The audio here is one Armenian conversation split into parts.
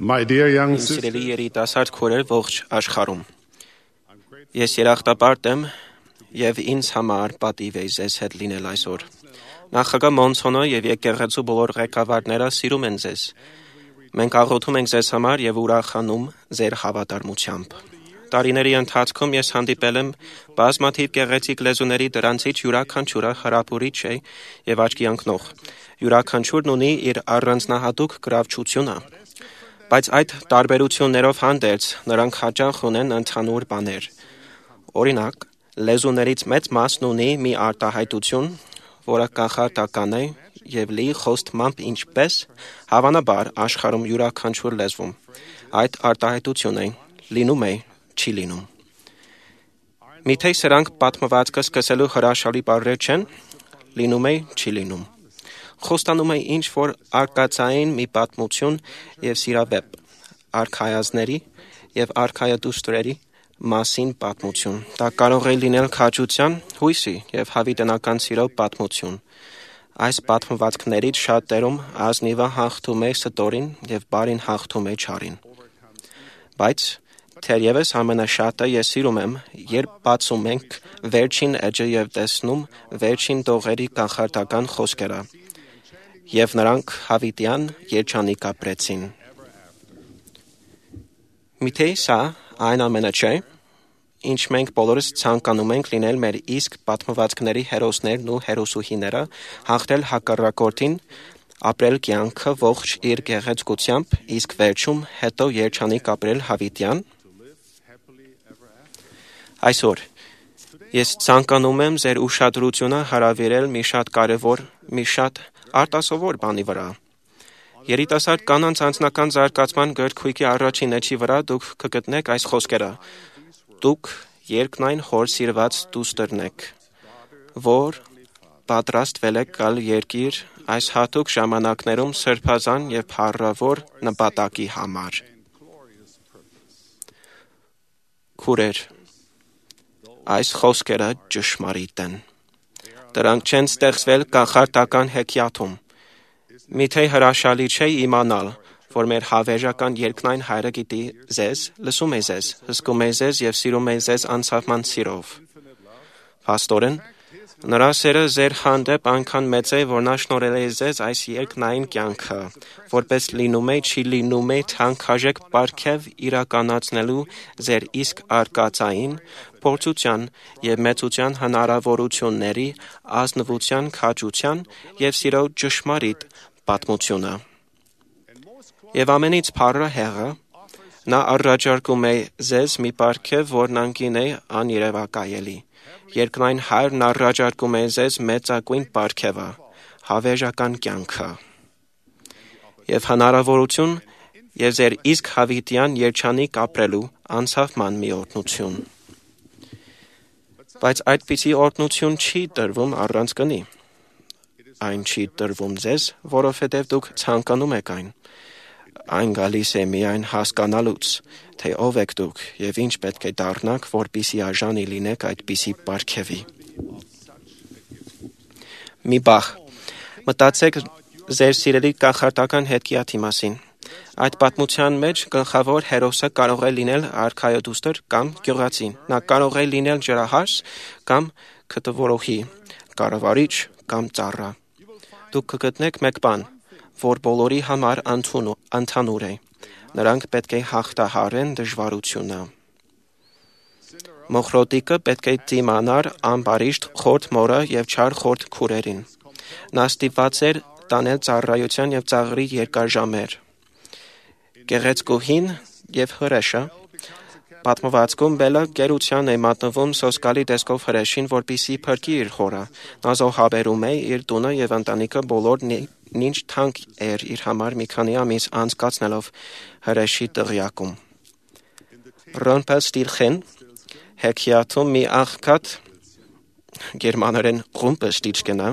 My dear young Իմ sister, սիրելի երիտասարդ քուրեր ողջ աշխարհում։ Ես երախտապարտ եմ եւ ինձ համար պատիվ է ձեզ հետ լինել այսօր։ Նախագահ Մոնսոնը եւ եկեղեցու բոլոր ղեկավարները սիրում են ձեզ։ Մենք աղոթում ենք ձեզ համար եւ ուրախանում ձեր հավատարմությամբ։ Տարիների ընթացքում ես հանդիպել եմ բազմաթիվ գեղեցիկ լեզուների, դրանցից յուրաքանչյուրը հրապուրիչ է եւ աչքի ընկնող։ Յուրաքանչյուրն ունի իր առանձնահատուկ գրավչությունը։ Բայց այդ տարբերություններով հանդերձ նրանք հաճախ ունեն ընդհանուր բաներ։ Օրինակ, լեզուներից մեծ մասն ունի մի արտահայտություն, որը կախարդական է եւ լի խոստմամբ ինչպես հավանաբար աշխարհում յուրաքանչյուր լեզվում։ Այդ արտահայտությունը լինում է, չի լինում։ Միթե սրանք պատմվածքը սկսելու հրաշալի բառեր չեն, լինում է, չի լինում։ Խոստանում է ինչ-որ արկածային մի պատմություն եւ սիրավեպ, արքայազների եւ արքայադուստրերի մասին պատմություն։ Դա կարող է լինել քաջության, հույսի եւ հավիտենական սիրո պատմություն։ Այս պատմվածքներից շատերում ազնիվը հաղթում է ստորին եւ բարին հաղթում է չարին։ Բայց թերևս ամենաշատը ես սիրում եմ, երբ բացում ենք վերջին էջը եւ տեսնում վերջին տողերի կախարդական խոսքերը։ Եվ նրանք հավիտյան երջանիկ ապրեցին։ Միթե սա այն ամենը չէ, ինչ մենք բոլորս ցանկանում ենք լինել մեր իսկ պատմվածքների հերոսներն ու հերոսուհիները, հաղթել հակառակորդին, ապրել կյանքը ողջ իր գեղեցկությամբ, իսկ վերջում հետո երջանիկ ապրել հավիտյան։ Այսօր ես ցանկանում եմ ձեր ուշադրությունը հրավիրել մի շատ կարևոր, մի շատ արտասովոր բանի վրա։ Երիտասարդ կանանց անձնական զարգացման գրքույկի առաջին էջի վրա դուք կգտնեք այս խոսքերը. Դուք երկնային հոր սիրված դուստրն եք, որ պատրաստվել եք գալ երկիր այս հատուկ ժամանակներում սրբազան եւ փառավոր նպատակի համար։ Քուրեր, այս խոսքերը ճշմարիտ են։ Դրանք չեն ստեղծվել կախարդական հեքիաթում։ Միթե հրաշալի չէ իմանալ, որ մեր հավերժական երկնային Հայրը գիտի ձեզ, լսում է ձեզ, հսկում է ձեզ եւ սիրում է ձեզ անսահման սիրով։ Փաստորեն, նրա սերը ձեր հանդեպ այնքան մեծ է, որ նա շնորհել է ձեզ այս երկնային կյանքը, որպես լինում է, չի լինում է թանկարժեք պարգև իրականացնելու ձեր իսկ արկածային, փորձության եւ մեծության հնարավորությունների, ազնվության, քաջության եւ սիրո ճշմարիտ պատմությունը։ Եվ ամենից փառը հեղը, նա առաջարկում է ձեզ մի պարգև, որն անկին է աներևակայելի։ Երկնային Հայրն առաջարկում է ձեզ մեծագույն պարգևը, հավերժական կյանքը եւ հնարավորություն եւ ձեր իսկ հավիտյան երջանիկ ապրելու անսահման մի օրհնություն։ Բայց այդպիսի օրհնություն չի տրվում առանց գնի։ Այն չի տրվում ձեզ, որովհետև դուք ցանկանում եք այն։ Այն գալիս է միայն հասկանալուց, թե ով եք դուք եւ ինչ պետք է դառնաք, որպիսի արժանի լինեք այդպիսի պարգևի։ Մի բախ, մտածեք ձեր սիրելի կախարդական հեքիաթի մասին։ Այդ պատմության մեջ գլխավոր հերոսը կարող է լինել արքայադուստր կամ գյուղացի։ Նա կարող է լինել ջրահաս կամ քթվորոհի, կառավարիչ կամ ծառա։ Դուք կգտնեք մեկ բան, որ բոլորի համար ընդհանուր է։ Նրանք պետք է հաղթահարեն դժվարությունը։ Մոխրոտիկը պետք է դիմանար ամբարիշտ խորթ մորը եւ չար խորթ քուրերին։ Նա ստիպված էր տանել ծառայության եւ ծաղրի երկար ժամեր։ Գեղեցկուհին եւ հրեշը պատմվածքում բելը գերության է մատնվում սոսկալի տեսքով հրեշին, որպիսի փրկի իր խորը։ Նա զոհաբերում է իր տունը եւ ընտանիքը բոլորն ինչ թանկ էր իր համար մի քանի ամիս անցկացնելով հրեշի տղյակում։ Ռոմպելստիլխեն հեքիաթում մի աղքատ գերմաներեն Rumpelstiltskin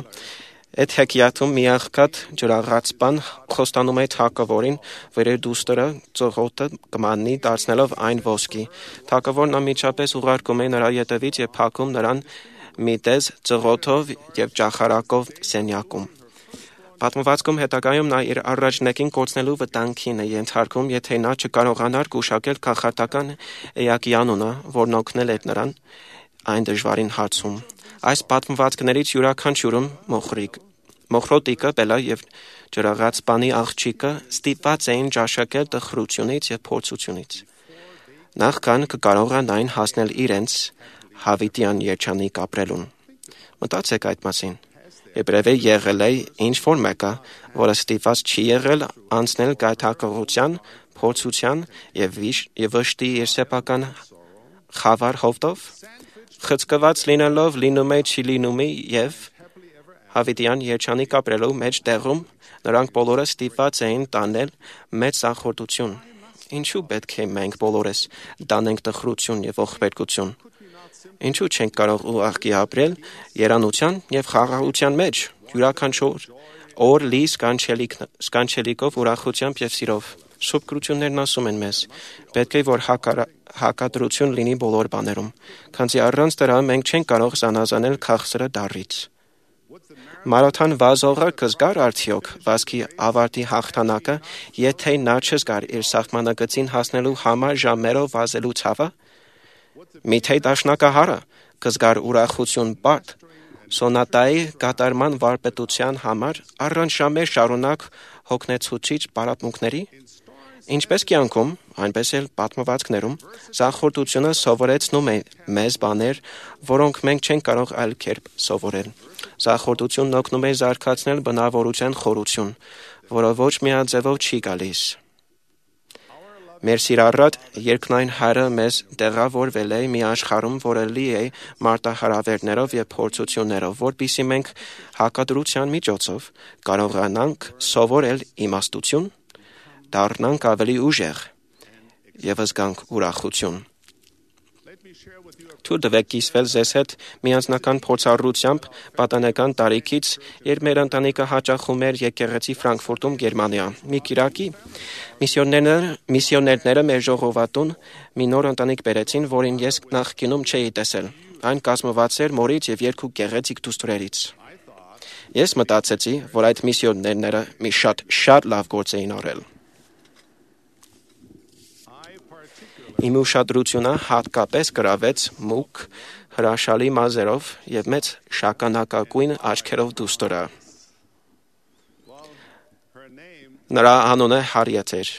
այդ հեքիաթում մի աղքատ ջրաղացպան խոստանում է թագավորին, որ իր դուստրը ծղոտը կմանի դարձնելով այն ոսկի։ Թագավորն անմիջապես ուղարկում է նրա ետևից եւ փակում նրան մի տեզ ծղոթով եւ ճախարակով սենյակում։ Պատմվածքում հետագայում նա իր առաջնակին կորցնելու վտանգին է ենթարկում, եթե նա չկարողանար գուշակել քաղաքական էակի անունը, որն օգնել էր նրան այն դժվարին հարցում։ Այս պատմվածքներից յուրաքանչյուրում մոխրոտիկը, բելը եւ ջրաղաց բանի աղջիկը ստիպված էին ճաշակել տխրությունից եւ փորձությունից։ Նախքան կկարողանային հասնել իրենց հավիտյան երջանիկ ապրելուն։ Մտածեք այդ մասին։ Եբրևէ եղել է ինչ-որ մեկը, որը ստիպված չի եղել անցնել գայթակղության, փորձության եւ վշտի իր սեփական խավար հովտով, խցկված լինելով լինում է չի լինումի եւ հավիտյան երջանիկ ապրելու մեջ տեղում նրանք բոլորը ստիպված էին տանել մեծ սախորդություն։ Ինչու պետք է մենք բոլորս տանենք տխրություն եւ ողբերգություն։ Ինչու չենք կարող ուղղակի ապրել երանության եւ խաղաղության մեջ, յուրաքանչյուր օր լի սկանչելիքով, ուրախությամբ եւ սիրով։ Սուրբ գրություններն ասում են մեզ. պետք է որ հակադրություն լինի բոլոր բաներում, քանզի առանց դրա մենք չենք կարող զանազանել քաղցրը դառից։ Մարաթան վազողը կզգար արդյոք վազքի ավարտի հաղթանակը, եթե նա չզգար իր սահմանակցին հասնելու համար ժամերով վազելու ցավը։ Միթե դաշնակահարը կզգար ուրախություն բարդ սոնատայի կատարման վարպետության համար առանց ժամեր շարունակ հոգնեցուցիչ պարապմունքների։ Ինչպես կյանքում, այնպես էլ պատմվածքներում սախորդությունը սովորեցնում է մեզ բաներ, որոնք մենք չենք կարող այլ կերպ սովորել։ Սախորդությունն օգնում է զարգացնել բնավորության խորություն, որը ոչ միաձևով չի գալիս։ Մեր սիրառատ երկնային Հայրը մեզ տեղավորվել է մի աշխարհում, որը լի է մարտահրավերներով եւ փորձություններով, որպեսզի մենք հակադրության միջոցով կարողանանք սովորել իմաստություն, դառնանք ավելի ուժեղ եւ զգանք ուրախություն։ Թույլ տվեք կիսվել ձեզ հետ մի անձնական փորձառությամբ պատանեկան տարիքից, երբ մեր ընտանիքը հաճախում էր եկեղեցի Ֆրանկֆուրտում, Գերմանիա։ Մի կիրակի միսիոներները մեր ժողովատուն մի նոր ընտանիք բերեցին, որին ես նախկինում չէի տեսել։ Այն կազմված էր մորից եւ երկու գեղեցիկ դուստրերից։ Ես մտածեցի, որ այդ միսիոներները մի շատ լավ գործ էին արել։ Իմ ուշադրությունը հատկապես գրավեց մուգ, հրաշալի մազերով եւ մեծ շագանակագույն աչքերով դուստրը։ Նրա անունը Հարիեթ էր,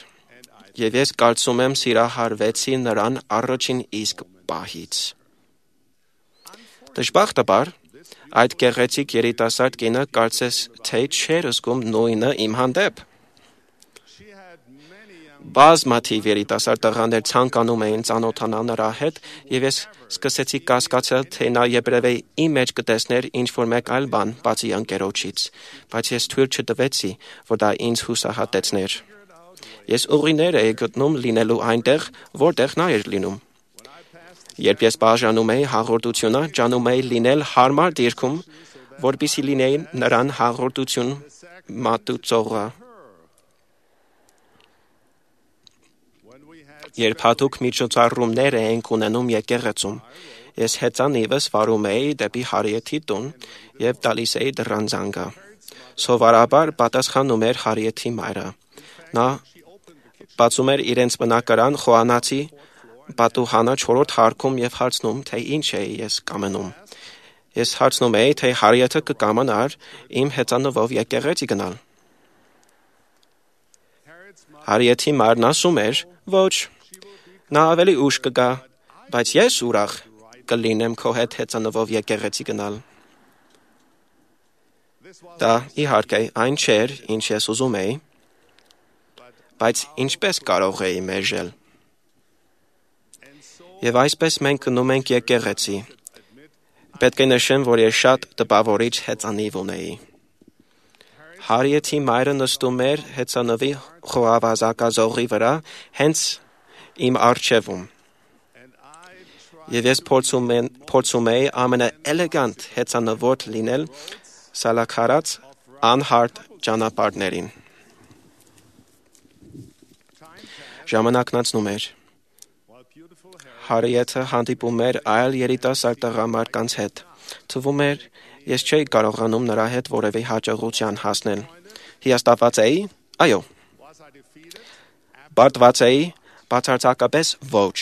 եւ ես կարծում եմ սիրահարվեցի նրան առաջին իսկ պահից։ Դժբախտաբար, այդ գեղեցիկ երիտասարդ կինը կարծես թե չէր զգում նույնը իմ հանդեպ։ Բազմաթիվ երիտասարդ տղաներ ցանկանում էին ծանոթանալ նրա հետ, եւ ես սկսեցի կասկածել, թե նա եբրևէ իմ մեջ կտեսներ ինչ-որ մեկ այլ բան, բացի ընկերոջից, բայց ես թույլ չտվեցի, որ դա ինձ հուսահատեցներ։ Ես ուղիներ էի գտնում լինելու այնտեղ, որտեղ նա էր լինում։ Երբ ես բաժանում էի հաղորդությունը, ջանում էի լինել հարմար դիրքում, որպեսզի լինեի նրան հաղորդություն մատուցողը։ Երբ հատուկ միջոցառումներ էինք ունենում եկեղեցում, ես հեծանիվս վարում էի դեպի Հարիեթի տուն եւ տալիս էի դռան զանգը։ Սովորաբար պատասխանում էր Հարիեթի մայրը։ Նա բացում էր իրենց բնակարան խոհանոցի պատուհանը 4-րդ հարկում եւ հարցնում, թե ինչ էի ես կամենում։ Ես հարցնում էի, թե Հարիեթը կկամանար իմ հեծանվով եկեղեցի գնալ։ Հարիեթի մայրն ասում էր. «Ոչ, նա ավելի ուշ կգա, բայց ես ուրախ կլինեմ քո հետ հեծանվով եկեղեցի գնալ»։ Դա իհարկե այն չէր, ինչ ես ուզում էի, բայց ինչպես կարող էի մերժել։ Եվ այսպես մենք գնում ենք եկեղեցի։ Պետք է նշեմ, որ ես շատ տպավորիչ հեծանիվ ունեի։ Հարիեթի մայրը նստում էր հեծանվի խոհավազակազողի վրա, հենց իմ առջևում։ Եվ ես փորձում էի ամենաէլեգանտ հեծանվորդ լինել սալաքարած անհարթ ճանապարհներին։ Ժամանակն անցնում էր։ Հարիեթը հանդիպում էր այլ երիտասարդ տղամարդկանց հետ։ Թվում էր, ես չէի կարողանում նրա հետ որևէ հաջողության հասնել։ Հիասթափված էի։ Այո։ Բարդված էի։ Բացարձակապես ոչ։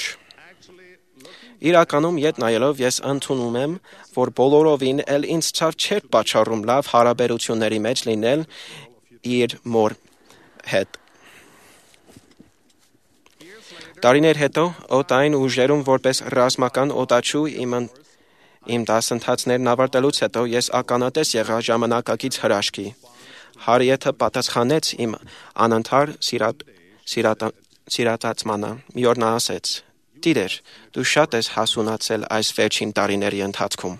Իրականում ետ նայելով ես ընդունում եմ, որ բոլորովին էլ ինձ ցավ չէր պատճառում լավ հարաբերությունների մեջ լինել իր մոր հետ։ Տարիներ հետո օդային ուժերում որպես ռազմական օդաչու իմ դասընթացներն ավարտելուց հետո ես ականատես եղա ժամանակակից հրաշքի։ Հարիեթը պատասխանեց իմ անընդհար սիրատացմանը։ Մի օր նա ասեց. «Տիրեր, դու շատ ես հասունացել այս վերջին տարիների ընթացքում»։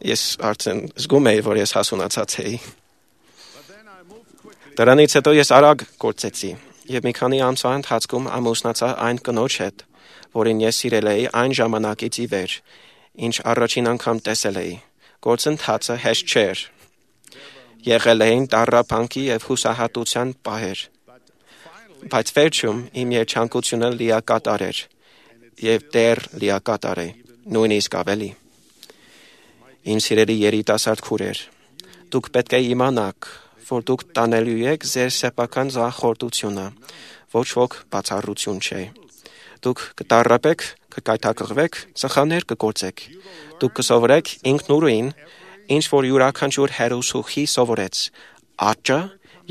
Ես արդեն զգում էի, որ ես հասունացած էի։ Դրանից հետո ես արագ գործեցի եւ մի քանի ամսվա ընթացքում ամուսնացա այն կնոջ հետ, որին ես սիրել էի այն ժամանակից ի վեր, ինչ առաջին անգամ տեսել էի։ Գործընթացը հեշտ չէր։ Եղել էին տառապանքի եւ հուսահատության պահեր։ Բայց վերջում իմ երջանկությունը լիակատար էր եւ դեռ լիակատար է, նույնիսկ ավելի։ Իմ սիրելի երիտասարդ քուրեր, դուք պետք է իմանաք, որ դուք տանելու եք ձեր սեփական զախորտությունը, ոչ ոք բացառություն չէ։ Դուք կտառապեք, կկայթակղվեք, սխալներ կգործեք։ Դուք կսովորեք ինքնուրույն, ինչ որ յուրաքանչյուր հերոսուխի սովորեց, աճը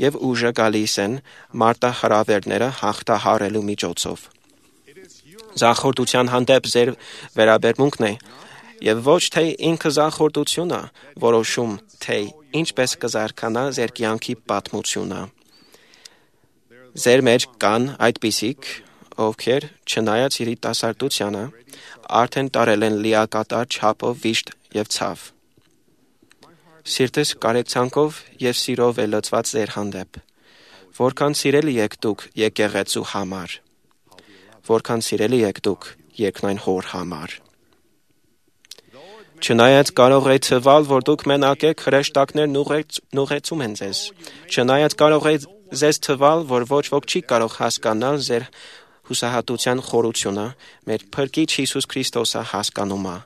եւ ուժը գալիս են մարտահրավերները հաղթահարելու միջոցով։ Զախորտության հանդեպ ձեր վերաբերմունքն է եւ ոչ թե ինքզախորտությունը որոշում, թե ինչպես կզարգանա ձեր կյանքի պատմությունը։ Ձեր մեջ կան այդպիսիք, ովքեր չնայած երիտասարդությանը արդեն տարել են լիակատար չափով վիշտ եւ ցավ։ Սիրտս կարեկցանքով եւ սիրով է լցված ձեր հանդեպ։ Որքան սիրելի եք դուք եկեղեցու համար։ Որքան սիրելի եք դուք երկնային հոր համար։ Չնայած կարող է թվալ, որ դուք մենակ եք, հրեշտակներն ուղեկցում են ձեզ։ Չնայած կարող է ձեզ թվալ, որ ոչ ոք չի կարող հասկանալ ձեր հուսահատության խորությունը, մեր Փրկիչ Հիսուս Քրիստոսը հասկանում է։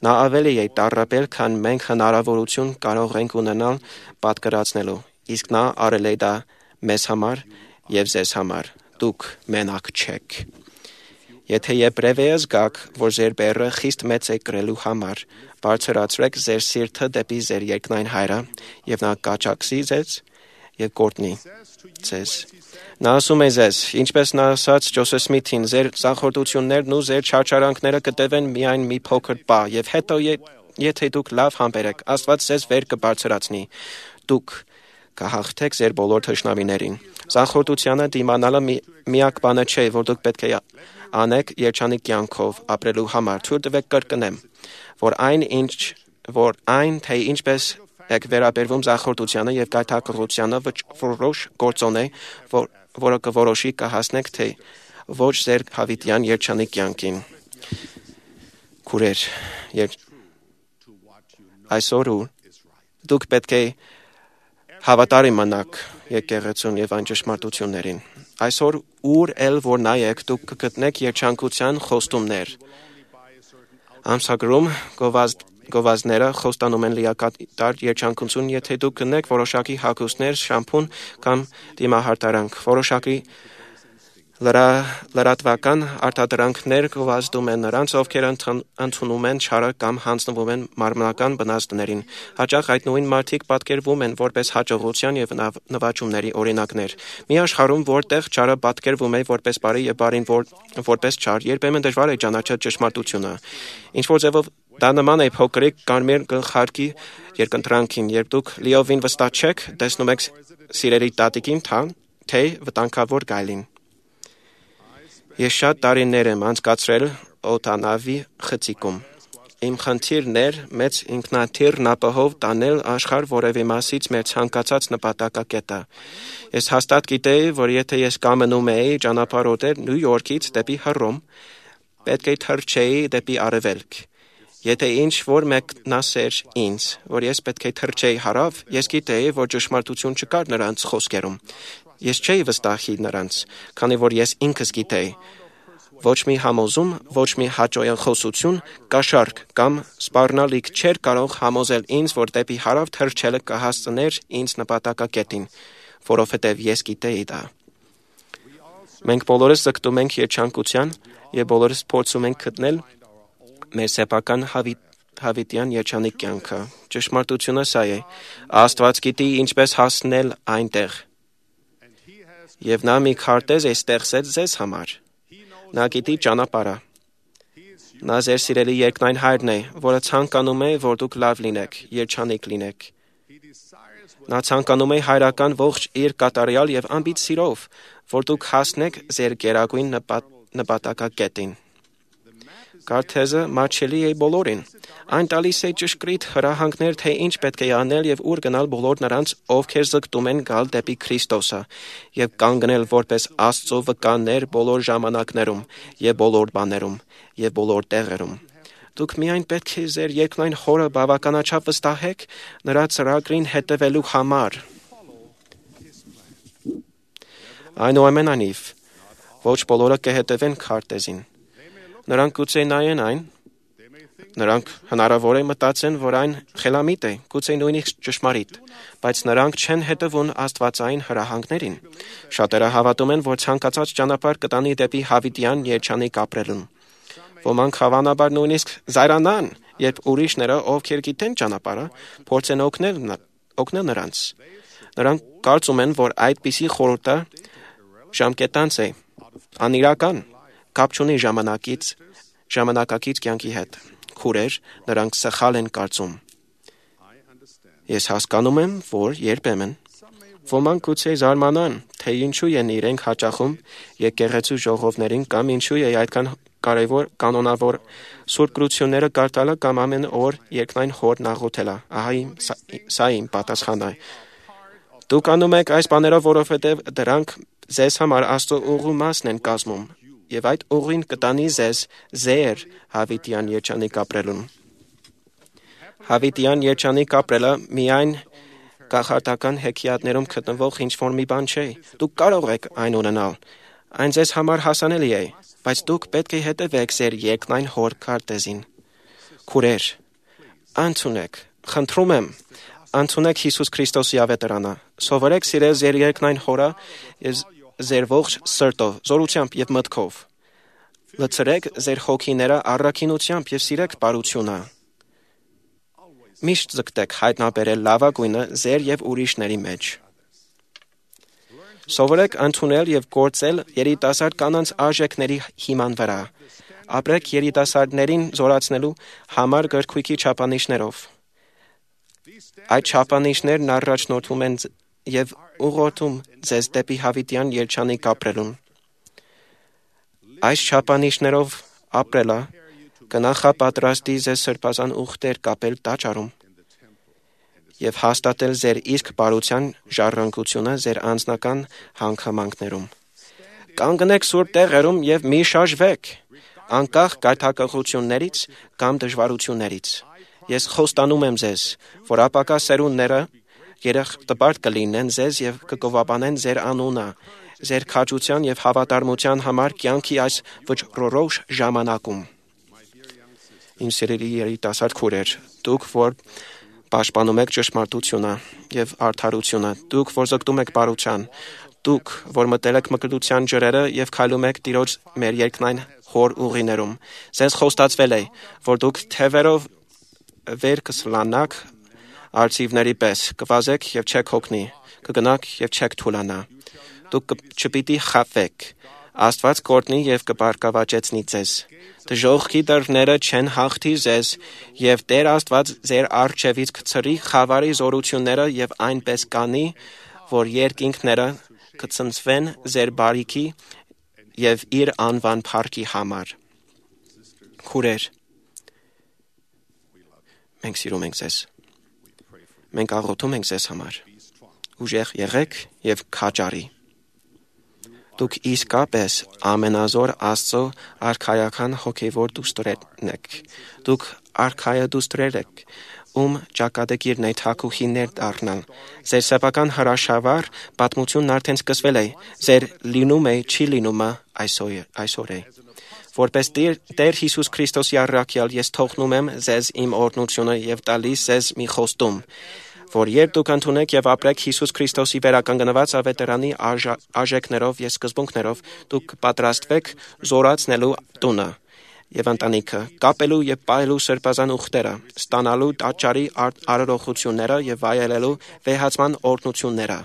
Նա ավելի է տառապել, քան մենք հնարավորություն կարող ենք ունենալ պատկերացնելու, իսկ նա արել է դա մեզ համար եւ ձեզ համար։ Դուք մենակ չեք։ Եթե Եբրևեաց գաք, որ ձեր բեռը խիստ մեծ է կրելու համար, բարձրացրեք ձեր սիրտը դեպի ձեր երկնային Հայրը, եւ նա կաճակցի ձեզ եւ կօրհնի ձեզ։ Նա ասում է ձեզ, ինչպես նա ասաց Ջոսեֆ Սմիթին, ձեր զախորտություններն ու ձեր չարչարանքները կտևեն միայն մի փոքր պահ, եւ հետո եթե դուք լավ համբերեք, Աստված ձեզ վեր կբարձրացնի։ Դուք կհաղթեք ձեր բոլոր թշնամիներին։ Զախորտությանը դիմանալը միակ բանը չէ, որ դուք պետք է անեք երջանիկ կյանքով ապրելու համար։ Թույլ տվեք կրկնեմ, որ այն, թե ինչպես եք վերաբերվում զախորտությանը եւ գայթակղությանը որոշ գործոն է, որը կորոշի կհասնեք թե ոչ ձեր հավիտյան երջանիկ կյանքին։ Քուրեր, այսօր դուք պետք է հավատարիմ մնաք եկեղեցուն եւ այն ճշմարտություններին։ Այսօր ուր էլ որ նայեք դուք կգտնեք երջանկության խոստումներ։ Ամսագրում գովազդները խոստանում են լիակատար երջանկություն, եթե դուք գտնեք որոշակի հագուստներ, շամփուն կամ դիմահարդարանք, որոշակի լրատվական արտադրանքներ գովազդում են նրանց, ովքեր ընդունում են չարը կամ հանձնվում են մարմնական բնազդներին։ Հաճախ այդ նույն մարդիկ պատկերվում են որպես հաջողության եւ նվաճումների օրինակներ։ Մի աշխարհում, որտեղ չարը պատկերվում է որպես բարի եւ բարին որպես չար, երբեմն դժվար է ճանաչել ճշմարտությունը։ Ինչ որ ձևով դա նման է փոքրիկ կարմիր գլխարկի երկընտրանքին, երբ դուք լիովին վստահ չեք, տեսնում եք սիրելի տատիկին, թե վտանգավոր գայլին։ Ես շատ տարիներ եմ անցկացրել օդանավի խցիկում։ Իմ խնդիրն էր մեծ ինքնաթիռն ապահով տանել աշխարհ որևէ մասից մեր ցանկացած նպատակակետը։ Ես հաստատ գիտեի, որ եթե ես կամենում էի ճանապարհորդել Նյու Յորքից դեպի Հռոմ, պետք է թռչեի դեպի արևելք։ Եթե ինչ որ մեկն ասեր ինձ, որ ես պետք է թռչեի հարավ, ես գիտեի, որ ճշմարտություն չկար նրանց խոսքերում։ Ես չէի վստահի նրանց, քանի որ ես ինքս գիտեի, Ոչ մի համոզում, ոչ մի հաճոյախոսություն, կաշառք կամ սպառնալիք չէր կարող համոզել ինձ, որ դեպի հարավ թռչելը կհասցներ ինձ նպատակակետին, որովհետև ես գիտեի դա։ Մենք բոլորս ձգտում ենք երջանկության եւ բոլորս փորձում ենք գտնել մեր սեփական հավիտյան երջանիկ կյանքը։ Ճշմարտությունը սա է. Աստված գիտի ինչպես հասնել այնտեղ։ Եվ նա մի քարտեզ է ստեղծել ձեզ համար։ Նա գիտի ճանապարհը։ Նա ձեր սիրելի երկնային հայրն է, որը ցանկանում է, որ դուք լավ լինեք, երջանիկ լինեք։ Նա ցանկանում է հայրական ողջ իր կատարյալ եւ անբիծ սիրով, որ դուք հասնեք ձեր գերագույն նպատակակետին։ Քարտեզը մատչելի է բոլորին։ Այն տալիս է ճշգրիտ հրահանգներ, թե ինչ պետք է անել եւ ուր գնալ բոլոր նրանց, ովքեր ձգտում են գալ դեպի Քրիստոսը եւ կանգնել որպես Աստծո վկաներ բոլոր ժամանակներում եւ բոլոր բաներում եւ բոլոր տեղերում։ Դուք միայն պետք է ձեր երկնային Հորը բավականաչափ վստահեք նրա ծրագրին հետևելու համար։ Այնուամենայնիվ, ոչ բոլորը կհետևեն քարտեզին։ Նրանք գուցե նայեն այն, նրանք հնարավոր է մտածեն, որ այն խելամիտ է, գուցե նույնիսկ ճշմարիտ, բայց նրանք չեն հետևում աստվածային հրահանգներին։ Շատերը հավատում են, որ ցանկացած ճանապարհ կտանի դեպի հավիտյան երջանիկ ապրելուն։ Ոմանք հավանաբար նույնիսկ զայրանան, երբ ուրիշները, ովքեր գիտեն ճանապարհը, փորձեն օգնել նրանց։ Նրանք կարծում են, որ այդպիսի խորհուրդը ժամկետանց է, անիրական, կապ չունի ժամանակակից կյանքի հետ։ Քուրեր, նրանք սխալ են կարծում։ Ես հասկանում եմ, որ երբեմն ոմանք գուցե զարմանան, թե ինչու են իրենք հաճախում եկեղեցու ժողովներին կամ ինչու է այդքան կարևոր կանոնավոր սուրբ գրությունները կարդալը կամ ամեն օր երկնային Հորն աղոթելը։ Ահա սա իմ պատասխանն է։ Դուք անում եք այս բաներով, որովհետև դրանք ձեզ համար Աստծո ուղու մասն են կազմում, եւ այդ ուղին կտանի ձեզ ձեր հավիտյան երջանիկ ապրելուն։ Հավիտյան երջանիկ ապրելը միայն կախարդական հեքիաթներում գտնվող ինչ-որ մի բան չէ։ Դուք կարող եք այն ունենալ։ Այն ձեզ համար հասանելի է, բայց դուք պետք է հետևեք ձեր երկնային Հոր քարտեզին։ Քուրեր, ընդունեք, խնդրում եմ, ընդունեք Հիսուս Քրիստոսի ավետարանը։ Սովորեք սիրել ձեր երկնային Հորը եւ ձեր ողջ սրտով, զորությամբ եւ մտքով։ Լցրեք ձեր հոգիները առաքինությամբ եւ սիրեք բարությունը։ Միշտ ձգտեք հայտնաբերել լավագույնը ձեր եւ ուրիշների մեջ։ Սովորեք ընդունել եւ գործել երիտասարդ կանանց արժեքների հիման վրա։ Ապրեք երիտասարդներին զորացնելու համար գրքույկի չափանիշներով։ Այդ չափանիշներն առաջնորդում են եւ ուղղորդում ձեզ դեպի հավիտյան երջանիկ ապրելուն։ Այս չափանիշներով ապրելը կնախապատրաստի ձեզ սրբազան ուխտեր կապել տաճարում եւ հաստատել ձեր իսկ բարության ժառանգությունը ձեր անձնական հանգամանքներում։ Կանգնեք սուրբ տեղերում եւ մի շարժվեք, անկախ գայթակղություններից կամ դժվարություններից։ Ես խոստանում եմ ձեզ, որ ապակա սերունդները երախտապարտ կլինեն ձեզ եւ կգովաբանեն ձեր անունը, ձեր քաջության եւ հավատարմության համար կյանքի այս վճռորոշ ժամանակում։ Իմ սիրելի երիտասարդ քուրեր, դուք որ պաշտպանում եք ճշմարտությունը եւ արդարությունը, դուք որ զգտում եք բարության, դուք որ մտել եք մկրտության ջրերը եւ քայլում եք Տիրոջ մեր երկնային Հոր ուղիներում, ձեզ խոստացվել է, որ դուք թևերով վեր կսլանաք արծիվների պես, կվազեք եւ չեք հոգնի, կգնաք եւ չեք թուլանա։ Դուք չպիտի խաբվեք։ Աստված կօրհնի եւ կբարգավաճեցնի ձեզ։ Դժոխքի դռները չեն հաղթի ձեզ, եւ Տեր Աստված ձեր առջևից կցրի խավարի զորությունները եւ այնպես կանի, որ երկինքները կցնցվեն ձեր բարիքի եւ իր անվան փառքի համար։ Քուրեր, մենք սիրում ենք ձեզ։ Մենք աղոթում ենք ձեզ համար։ Ուժեղ եղեք եւ քաջարի։ Դուք իսկապես ամենազոր Աստծո արքայական հոգևոր դուստրերն եք։ Դուք արքայա դուստրեր եք, ում ճակատագիրն է թագուհիներ դառնալ։ Ձեր սեփական հրաշավար պատմությունն արդեն սկսվել է։ Ձեր լինում է, չի լինումը այսօր է։ Որպես Տեր Հիսուս Քրիստոսի առաքյալ ես թողնում եմ ձեզ իմ օրհնությունը եւ տալիս ձեզ մի խոստում, որ երբ դուք ընդունեք եւ ապրեք Հիսուս Քրիստոսի վերականգնված ավետարանի արժեքներով եւ սկզբունքներով, դուք պատրաստվեք զորացնելու տունը եւ ընտանիքը, կապելու եւ պահելու սրբազան ուխտերը, ստանալու տաճարի արարողությունները եւ վայելելու վեհացման օրհնությունները։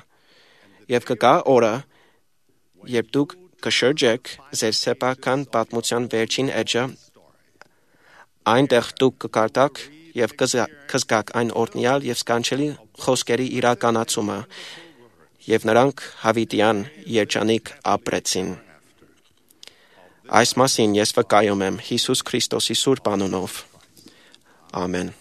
Եվ կգա օրը, երբ դուք կշրջեք ձեր սեփական պատմության վերջին էջը, այնտեղ դուք կկարդաք եւ կզգաք այն օրհնյալ եւ սքանչելի խոսքերի իրականացումը, եւ նրանք հավիտյան երջանիկ ապրեցին։ Այս մասին ես վկայում եմ Հիսուս Քրիստոսի սուրբ անունով։ Ամեն։